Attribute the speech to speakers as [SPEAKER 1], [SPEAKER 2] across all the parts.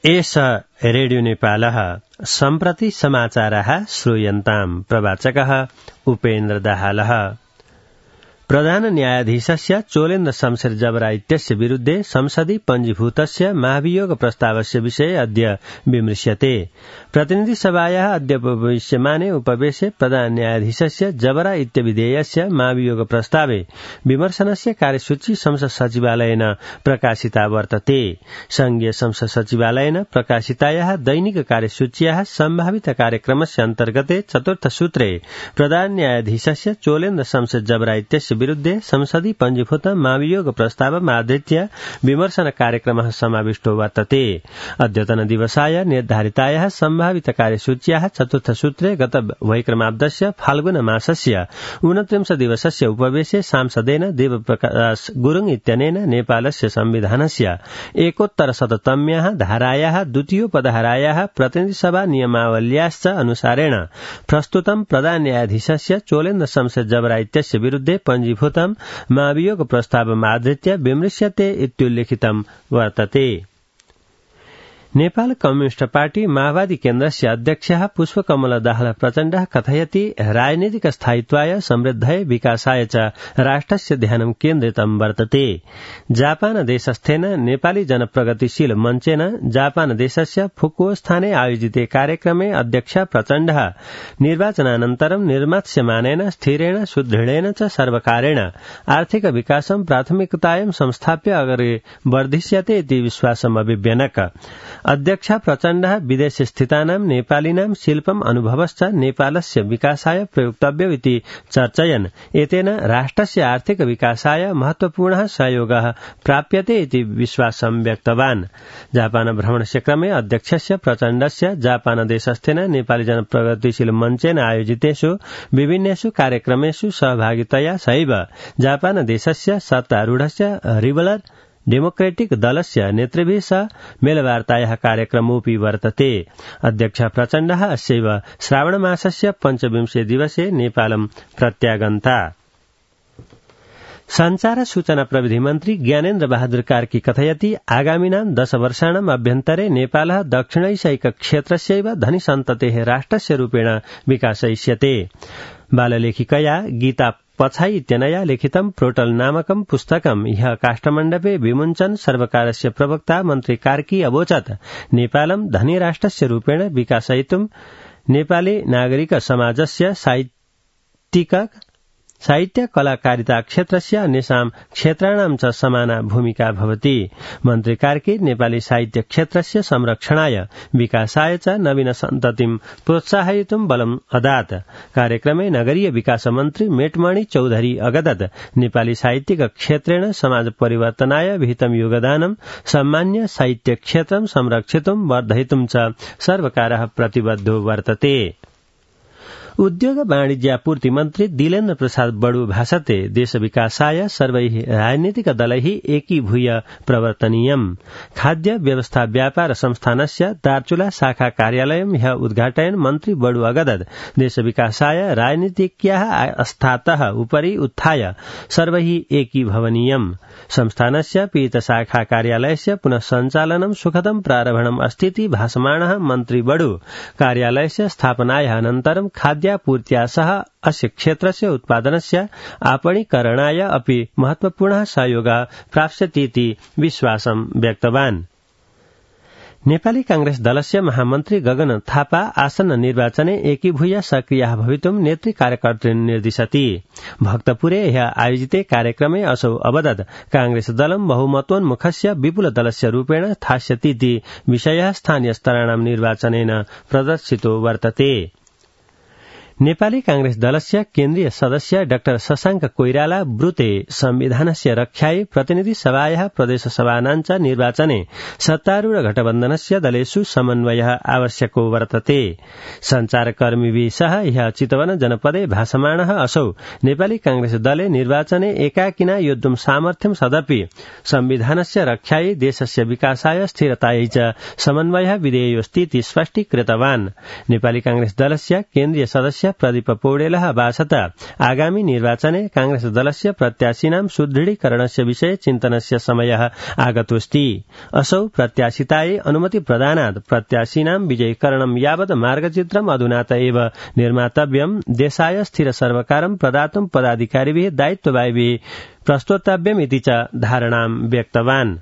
[SPEAKER 1] एष रेडियो नेपालः सम्प्रति समाचारः श्रूयन्ताम्। प्रवाचकः उपेन्द्र दाहालः। प्रधान न्यायाधीशस्य चोलेन्द्र शमशेर जबरा इत्यस्य विरुद्धे संसदि पञ्जीभूतस्य महाभियोग प्रस्तावस्य विषये अद्य विमृश्यते। प्रतिनिधि सभायाः अद्य उपविश्यमाने उपवेशे प्रधान न्यायाधीशस्य जबरा इत्यविधेयस्य महाभियोग प्रस्तावे विमर्शनस्य कार्यसूची संसद सचिवालयेन प्रकाशिता वर्तते। संघीय संसद सचिवालयेन प्रकाशितायाः दैनिक कार्यसूच्याः सम्भावित कार्यक्रमस्य अन्तर्गते चतुर्थ सूत्रे प्रधान न्यायाधीशस्य चोलेन्द्र शमशेर जबरा इत्यस्य विरुद्धे संसदि पञ्जीभूत महाभियोग प्रस्तावमाधृत्य विमर्शन कार्यक्रमः समाविष्टो वर्तते। अद्यतन दिवसाय निर्धारितायाः सम्भावित कार्यसूच्याः चतुर्थ सूत्रे गत वैक्रमाब्दस्य फाल्गुन मासस्य 29 दिवसस्य उपवेशे सांसदेन देवप्रकाश गुरुङ इत्यनेन नेपालस्य संविधानस्य 1,100तम्याः धारायाः द्वितीयोपधारायाः प्रतिनिधिसभा नियमावल्याश्च अनुसारेण प्रस्तुतं प्रधान न्यायाधीशस्य चोलेन्द्र शमशेर जबरा इत्यस्य विरुद्धे पञ्जीभूतं महाभियोग प्रस्तावमाधृत्य विमृश्यते इत्युल्लिखितं वर्तते। नेपाल कम्युनिस्ट पार्टी माओवादी केन्द्रस्य अध्यक्षः पुष्पकमल दाहाल प्रचण्डः कथयति राजनीतिक स्थायित्वाय समृद्धये विकासाय च राष्ट्रस्य ध्यानं केन्द्रितं वर्तते। जापान देशस्थेन नेपाली जनप्रगतिशील मञ्चेन जापान देशस्य फुकुओ स्थाने आयोजिते कार्यक्रमे अध्यक्ष प्रचण्डः निर्वाचनानन्तरं निर्मास्यमानेन स्थिरेण सुदृढेन च सर्वकारेण आर्थिक विकासं प्राथमिकतायां संस्थाप्य अग्रे वर्धिष्यते इति विश्वासम् अभिव्यनक। अध्यक्ष प्रचण्डः विदेशे स्थितानां नेपालिनां शिल्पम् अनुभवश्च नेपालस्य विकासाय प्रयोक्तव्यमिति चर्चयन् एतेन राष्ट्रस्य आर्थिक विकासाय महत्वपूर्णः सहयोगः प्राप्यते इति विश्वासं व्यक्तवान्। जापान भ्रमणस्य क्रमे अध्यक्षस्य प्रचण्डस्य जापान देशस्थेन नेपाली जनप्रगतिशील मञ्चेन आयोजितेषु विभिन्नेषु कार्यक्रमेषु सहभागितया सहैव जापान देशस्य सत्तारूढस्य रिबलर डेमोक्रेटिक दलस्य नेतृभिः सह मेलवार्तायाः कार्यक्रमोऽपि वर्तते। अध्यक्ष प्रचण्डः अस्यैव श्रावणमासस्य 25 दिवसे नेपालं प्रत्यागन्ता। संचार सूचना प्रविधि मन्त्री ज्ञानेन्द्र बहादुर कार्की कथयति आगामिनां 10 वर्षाणाम् अभ्यन्तरे नेपालः दक्षिणैशिक क्षेत्रस्यैव धनीसन्ततेः राष्ट्रस्य रूपेण विकासयिष्यते। बाललेखिकया गीता पछाई इत्यनया लिखितं प्रोटल नामकं पुस्तकं ह्यः काष्ठमण्डपे विमुञ्चन् सर्वकारस्य प्रवक्ता मन्त्री कार्की अवोचत् नेपालं धनी राष्ट्रस्य रूपेण विकासयितुं नेपाली नागरिक समाजस्य साहित्य कलाकारिता क्षेत्रस्य अन्येषां क्षेत्राणां च समाना भूमिका भवति। मन्त्री कार्की नेपाली साहित्य क्षेत्रस्य संरक्षणाय विकासाय च नवीन सन्ततिं प्रोत्साहयितुं बलम् अदात्। कार्यक्रमे नगरीय विकास मन्त्री मेटमणि चौधरी अगदत् नेपाली साहित्यिक क्षेत्रेण समाज परिवर्तनाय विहितं योगदानं सम्मान्य साहित्य क्षेत्रं संरक्षितुं वर्धयितुं च सर्वकारः प्रतिबद्धो वर्तते। उद्योग वाणिज्यापूर्ति मन्त्री दिलेन्द्र प्रसाद बडु भाषते देश विकासाय सर्वैः राजनीतिक दलैः एकीभूय प्रवर्तनीयम्। खाद्य व्यवस्था व्यापार संस्थानस्य दार्चुला शाखा कार्यालयं ह्यः उद्घाटयन् मन्त्री बडु अगदत् देश विकासाय राजनीतिज्ञाः आस्थातः उपरि उत्थाय सर्वैः एकीभवनीयम्। संस्थानस्य पीत शाखा कार्यालयस्य पुनः सञ्चालनं सुखदं प्रारम्भणम् अस्तीति भाषमाणः मन्त्री बडु कार्यालयस्य स्थापनायाः अनन्तरं खाद्यापूर्त्या सह अस्य क्षेत्रस्य उत्पादनस्य आपणीकरणाय अपि महत्वपूर्णः सहयोगः प्राप्स्यतीति विश्वासं व्यक्तवान्। नेपाली कांग्रेस दलस्य महामन्त्री गगन थापा आसन्न निर्वाचने एकीभूय सक्रियः भवितुं नेतृ कार्यकर्तॄन् निर्दिशति। भक्तपुरे ह्यः आयोजिते कार्यक्रमे असौ अवदत् कांग्रेस दलं बहुमतोन्मुखस्य विपुल दलस्य रूपेण स्थास्यतीति विषयः स्थानीय स्तराणां निर्वाचनेन प्रदर्शितो वर्तते। नेपाली कांग्रेस दलस्य केन्द्रीय सदस्य डाक्टर शशाङ्क कोइराला ब्रुते संविधानस्य रक्षायै प्रतिनिधि सभायाः प्रदेश सभानां च निर्वाचने सत्तारूढ गठबन्धनस्य दलेषु समन्वयः आवश्यको वर्तते। सञ्चारकर्मीभिः सह ह्यः चितवन जनपदे भाषमाणः असौ नेपाली कांग्रेस दले निर्वाचने एकाकिना योद्धुं सामर्थ्यं सदपि संविधानस्य रक्षायै देशस्य विकासाय स्थिरतायै च समन्वयः विधेयोऽस्तीति स्पष्टीकृतवान्। नेपाली कांग्रेस दलस्य केन्द्रीय सदस्य दलस्य प्रदीप पौडेलः अभाषत आगामि निर्वाचने कांग्रेस दलस्य प्रत्याशिनां सुदृढीकरणस्य विषये चिन्तनस्य समयः आगतोऽस्ति। असौ प्रत्याशितायै अनुमति प्रदानात् प्रत्याशिनां विजयीकरणं यावत् मार्गचित्रम् अधुनात एव निर्मातव्यम्, देशाय स्थिर सर्वकारं प्रदातुं पदाधिकारिभिः दायित्ववाहिभिः प्रस्तोतव्यमिति च धारणां व्यक्तवान्।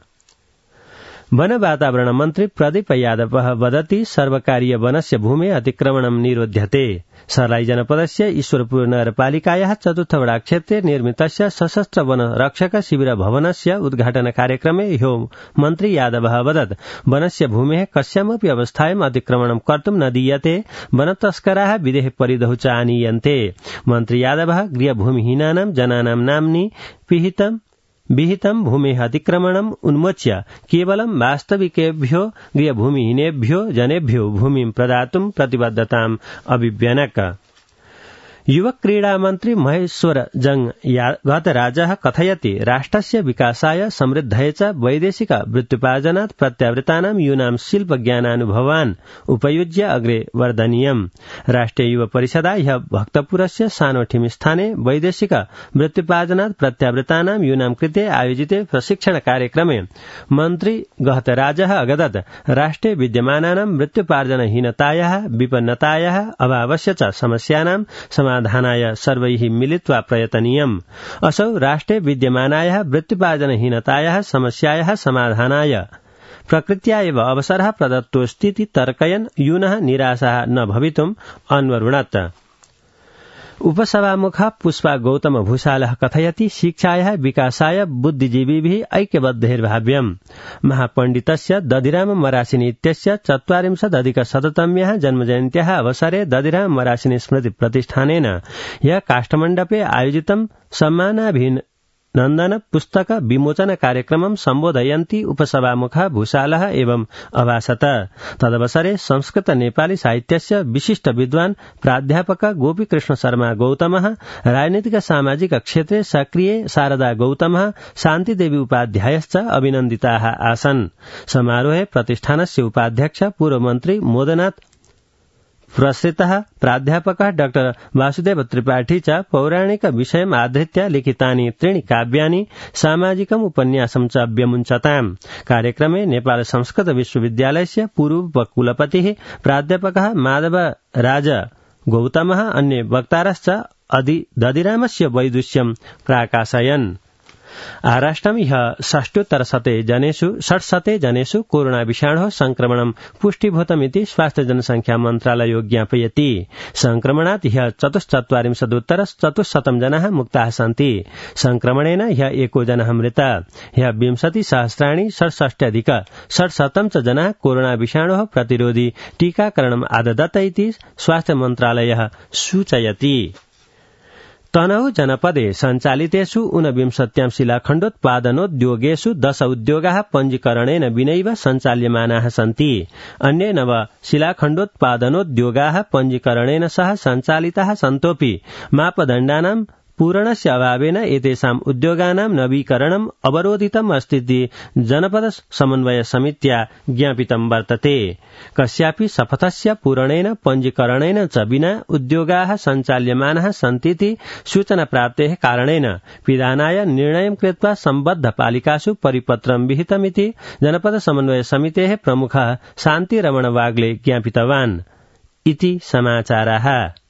[SPEAKER 1] वन वातावरण मन्त्री प्रदीप यादवः वदति सर्वकारीय वनस्य भूमेः अतिक्रमणं निरोध्यते। सर्लाई जनपदस्य ईश्वरपुर नगरपालिकायाः चतुर्थ वडा क्षेत्रे निर्मितस्य सशस्त्र वन रक्षक शिबिर भवनस्य उद्घाटन कार्यक्रमे ह्यो मन्त्री यादवः वदत् वनस्य भूमेः कस्यामपि अवस्थायाम् अतिक्रमणं कर्तुं न दीयते, वनतस्कराः विदेह परिधौ च आनीयन्ते। मन्त्री यादवः गृहभूमिहीनानां जनानां नाम्नि विहितं भूमेः अतिक्रमणम् उन्मोच्य केवलं वास्तविकेभ्यो गृहभूमिहीनेभ्यो जनेभ्यो भूमिं प्रदातुं प्रतिबद्धताम् अभिव्यनक। युवक क्रीडा मन्त्री महेश्वर गतराजः कथयति राष्ट्रस्य विकासाय समृद्धये च वैदेशिक वृत्त्युपार्जनात् प्रत्यावृतानां यूनां शिल्पज्ञानानुभवान् उपयुज्य अग्रे वर्धनीयम्। राष्ट्रिय युव परिषदा ह्यः भक्तपुरस्य सानोठिम स्थाने वैदेशिक वृत्त्युपार्जनात् प्रत्यावृतानां यूनां कृते आयोजिते प्रशिक्षण कार्यक्रमे मन्त्री गहतराजः अगदत् राष्ट्रे विद्यमानानां वृत्त्युपार्जनहीनतायाः विपन्नतायाः अभावस्य च समस्यानां समाधानाय सर्वैः मिलित्वा प्रयतनीयम्। असौ राष्ट्रे विद्यमानायाः वृत्त्युपार्जनहीनतायाः समस्यायाः समाधानाय प्रकृत्या एव अवसरः प्रदत्तोऽस्तीति तर्कयन् यूनः निराशाः न भवितुम् अन्वरुणत्। उपसभामुखः पुष्पा गौतम भूषालः कथयति शिक्षायाः विकासाय बुद्धिजीविभिः ऐक्यबद्धैर्भाव्यम्। महापण्डितस्य दधिराम मरासिनी इत्यस्य 40+ जन्मजयन्त्याः अवसरे दधिराम मरासिनी स्मृति प्रतिष्ठानेन ह्यः काष्ठमण्डपे आयोजितं सम्मानाभिनन्दन पुस्तक विमोचन कार्यक्रमं सम्बोधयन्ती उपसभामुखः भूषालः एवं अभाषत। तदवसरे संस्कृत नेपाली साहित्यस्य विशिष्ट विद्वान् प्राध्यापक गोपीकृष्ण शर्मा गौतमः, राजनीतिक सामाजिक क्षेत्रे सक्रिय शारदा गौतमः, शान्तिदेवी उपाध्यायश्च अभिनन्दिताः आसन्। समारोहे प्रतिष्ठानस्य उपाध्यक्ष पूर्वमन्त्री मोदनाथ प्रसृतः प्राध्यापकः डॉ वासुदेव त्रिपाठी च पौराणिक विषयम् आधृत्य लिखितानि 3 काव्यानि सामाजिकम् उपन्यासं च व्यमुञ्चताम्। कार्यक्रमे नेपाल संस्कृत विश्वविद्यालयस्य पूर्वकुलपतिः प्राध्यापकः माधवराज गौतमः अन्ये वक्तारश्च दधिरामस्य वैदुष्यं प्राकाशयन्। आराष्ट्रं ह्यः 600 जनेषु कोरोना विषाणोः संक्रमणं पुष्टिभूतमिति स्वास्थ्य जनसंख्या मन्त्रालयो ज्ञापयति। संक्रमणात् ह्यः 44,400 जनाः मुक्ताः सन्ति। संक्रमणेन ह्यः 1 जनः मृतः। ह्यः 20,067,600 च जनाः कोरोना विषाणोः प्रतिरोधी टीकाकरणम् आददत इति स्वास्थ्य मन्त्रालयः सूचयति। तनहु जनपदे सञ्चालितेषु 49 शिलाखण्डोत्पादनोद्योगेषु 10 उद्योगाः पञ्जीकरणेन विनैव सञ्चाल्यमानाः सन्ति। अन्ये 9 शिलाखण्डोत्पादनोद्योगाः पञ्जीकरणेन सह सञ्चालिताः सन्तोऽपि मापदण्डानां पूरणस्य अभावेन एतेषाम् उद्योगानां नवीकरणम् अवरोधितम् अस्तीति जनपद समन्वय समित्या ज्ञापितं वर्तते। कस्यापि शपथस्य पूरणेन पञ्जीकरणेन च विना उद्योगाः सञ्चाल्यमानाः सन्तीति सूचना प्राप्तेः कारणेन पिधानाय निर्णयं कृत्वा सम्बद्ध पालिकासु परिपत्रं विहितमिति जनपद समन्वय समितेः प्रमुखः शान्तिरमण वाग्ले ज्ञापितवान् इति समाचाराः।